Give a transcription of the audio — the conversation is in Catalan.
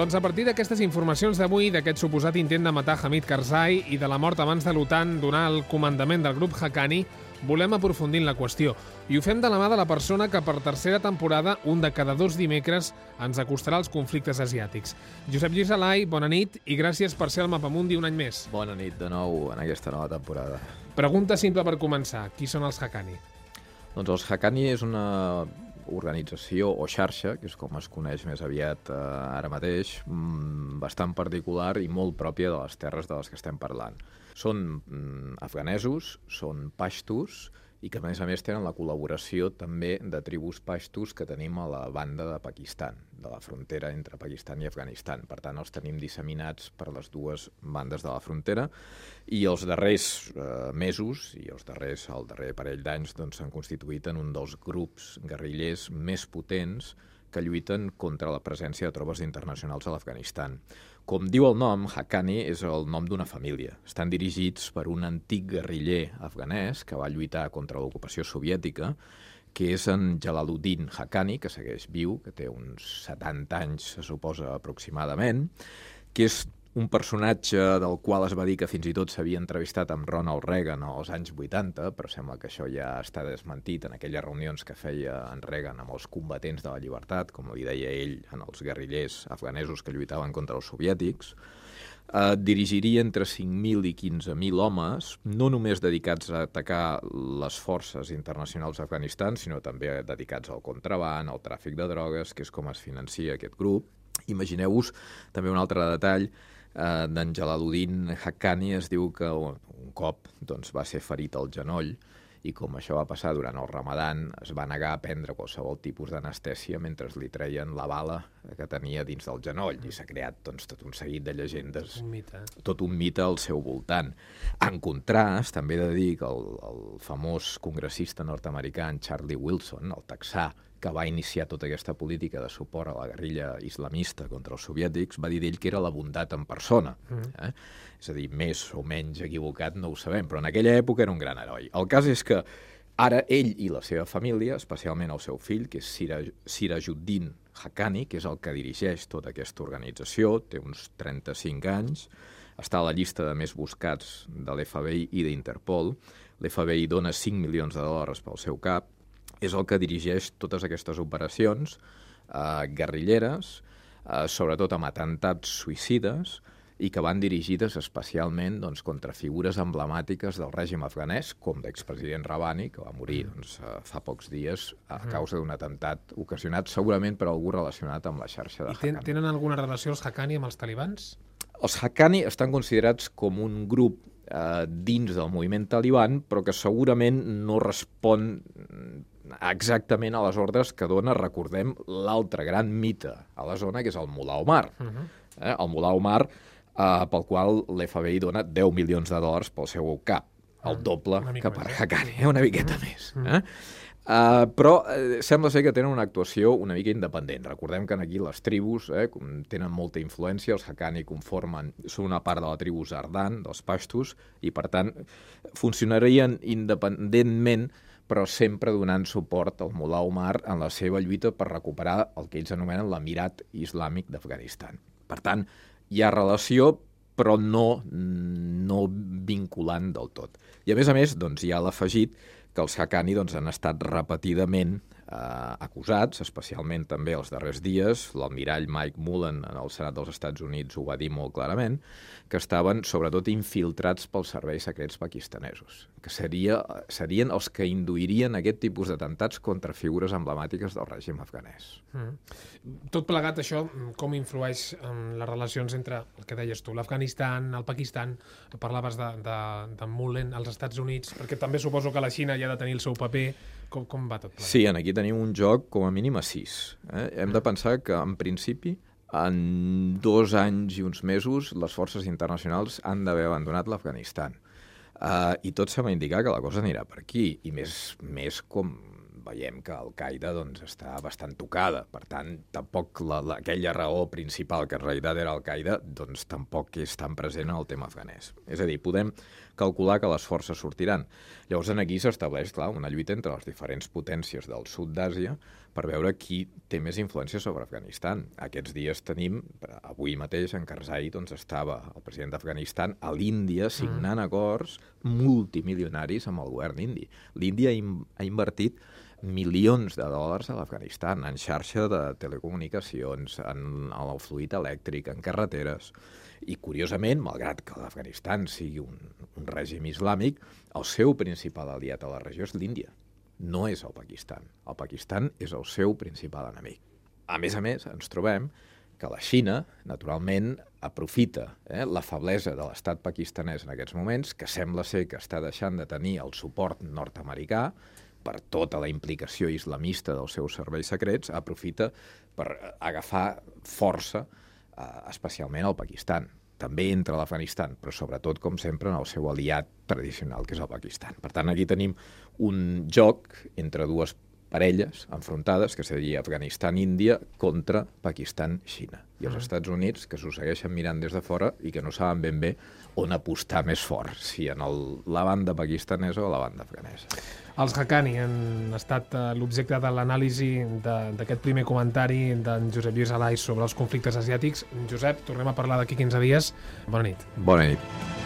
Doncs a partir d'aquestes informacions d'avui, d'aquest suposat intent de matar Hamid Karzai i de la mort abans de l'OTAN donar el comandament del grup Haqqani, volem aprofundir en la qüestió. I ho fem de la mà de la persona que per tercera temporada, un de cada 2 dimecres, ens acostarà als conflictes asiàtics. Josep Lluís Alai, bona nit i gràcies per ser al Mapamundi un any més. Bona nit de nou en aquesta nova temporada. Pregunta simple per començar. Qui són els Haqqani? Doncs els Haqqani és una organització o xarxa, que és com es coneix més aviat ara mateix, bastant particular i molt pròpia de les terres de les que estem parlant. Són afganesos, són paixtus i que a més tenen la col·laboració també de tribus paixtus que tenim a la banda de Pakistan, de la frontera entre Pakistan i Afganistan. Per tant, els tenim disseminats per les dues bandes de la frontera i els darrers mesos i el darrer parell d'anys s'han constituït en un dels grups guerrillers més potents que lluiten contra la presència de tropes internacionals a l'Afganistan. Com diu el nom, Haqqani és el nom d'una família. Estan dirigits per un antic guerriller afganès que va lluitar contra l'ocupació soviètica, que és en Jalaluddin Haqqani, que segueix viu, que té uns 70 anys, se suposa, aproximadament, que és un personatge del qual es va dir que fins i tot s'havia entrevistat amb Ronald Reagan als anys 80, però sembla que això ja està desmentit en aquelles reunions que feia en Reagan amb els combatents de la llibertat, com li deia ell, en els guerrillers afganesos que lluitaven contra els soviètics. Dirigiria entre 5.000 i 15.000 homes, no només dedicats a atacar les forces internacionals d'Afganistan, sinó també dedicats al contraban, al tràfic de drogues, que és com es financia aquest grup. Imagineu-vos també un altre detall d'en Jalaluddin Haqqani. Es diu que un cop va ser ferit al genoll i com això va passar durant el Ramadan es va negar a prendre qualsevol tipus d'anestèsia mentre li treien la bala que tenia dins del genoll i s'ha creat tot un seguit de llegendes, tot un mite al seu voltant. En contrast, també he de dir que el famós congressista nord-americà Charlie Wilson, el texà, que va iniciar tota aquesta política de suport a la guerrilla islamista contra els soviètics, va dir d'ell que era la bondat en persona. És a dir, més o menys equivocat no ho sabem, però en aquella època era un gran heroi. El cas és que ara ell i la seva família, especialment el seu fill, que és Sirajuddin Haqqani, que és el que dirigeix tota aquesta organització, té uns 35 anys, està a la llista de més buscats de l'FBI i d'Interpol. L'FBI dona $5 milions pel seu cap. És el que dirigeix totes aquestes operacions guerrilleres, sobretot amb atemptats suïcides, i que van dirigides especialment contra figures emblemàtiques del règim afganès, com l'expresident Rabbani, que va morir fa pocs dies a causa d'un atemptat ocasionat segurament per algú relacionat amb la xarxa de Haqqani. Tenen alguna relació els Haqqani amb els talibans? Els Haqqani estan considerats com un grup dins del moviment taliban, però que segurament no respon exactament a les ordres que dona, recordem, l'altre gran mite a la zona, que és el Mullah Omar. El Mullah Omar, pel qual l'FBI dona $10 milions pel seu cap, el doble que per Haqqani, una miqueta més. Però sembla ser que tenen una actuació una mica independent. Recordem que aquí les tribus tenen molta influència, els Haqqani són una part de la tribu Zardan, dels paixtus, i per tant funcionarien independentment, però sempre donant suport al Mullah Omar en la seva lluita per recuperar el que ells anomenen l'Emirat Islàmic d'Afganistan. Per tant, hi ha relació, però no vinculant del tot. I a més, hi ha l'afegit que els Haqqani han estat repetidament acusats, especialment també els darrers dies. L'almirall Mike Mullen en el Senat dels Estats Units ho va dir molt clarament, que estaven sobretot infiltrats pels serveis secrets pakistanesos, que serien els que induirien aquest tipus d'atemptats contra figures emblemàtiques del règim afganès. Tot plegat, això, com influeix en les relacions entre, el que deies tu, l'Afganistan, el Pakistan, parlaves de Mullen als Estats Units, perquè també suposo que la Xina hi ha de tenir el seu paper. Com va tot plegat? Sí, aquí tenim un joc com a mínim a 6. Hem de pensar que, en principi, en 2 anys i uns mesos, les forces internacionals han d'haver abandonat l'Afganistan. I tot sembla indicar que la cosa anirà per aquí, i més com veiem que Al-Qaeda està bastant tocada. Per tant, tampoc aquella raó principal, que en realitat era Al-Qaeda, tampoc és tan present en el tema afganès. És a dir, podem calcular que les forces sortiran. Llavors, aquí s'estableix, clar, una lluita entre les diferents potències del sud d'Àsia per veure qui té més influència sobre Afganistan. Aquests dies tenim, avui mateix, en Karzai doncs, estava el president d'Afganistan a l'Índia signant acords multimilionaris amb el govern indi. L'Índia ha invertit milions de dòlars a l'Afganistan, en xarxa de telecomunicacions, en el fluid elèctric, en carreteres. I, curiosament, malgrat que l'Afganistan sigui un règim islàmic, el seu principal aliat a la regió és l'Índia. No és el Pakistan. El Pakistan és el seu principal enemic. A més, ens trobem que la Xina, naturalment, aprofita la feblesa de l'estat pakistanès en aquests moments, que sembla ser que està deixant de tenir el suport nord-americà per tota la implicació islamista dels seus serveis secrets, aprofita per agafar força, especialment al Pakistan. També entra a l'Afganistan, però sobretot, com sempre, en el seu aliat tradicional, que és el Pakistan. Per tant, aquí tenim un joc entre dues parelles enfrontades, que seria Afganistan-Índia contra Pakistan-Xina. I els Estats Units, que s'ho segueixen mirant des de fora i que no saben ben bé on apostar més fort, si en la banda pakistanesa o la banda afganesa. Els Haqqani han estat l'objecte de l'anàlisi d'aquest primer comentari d'en Josep Lluís Alay sobre els conflictes asiàtics. Josep, tornem a parlar d'aquí 15 dies. Bona nit. Bona nit.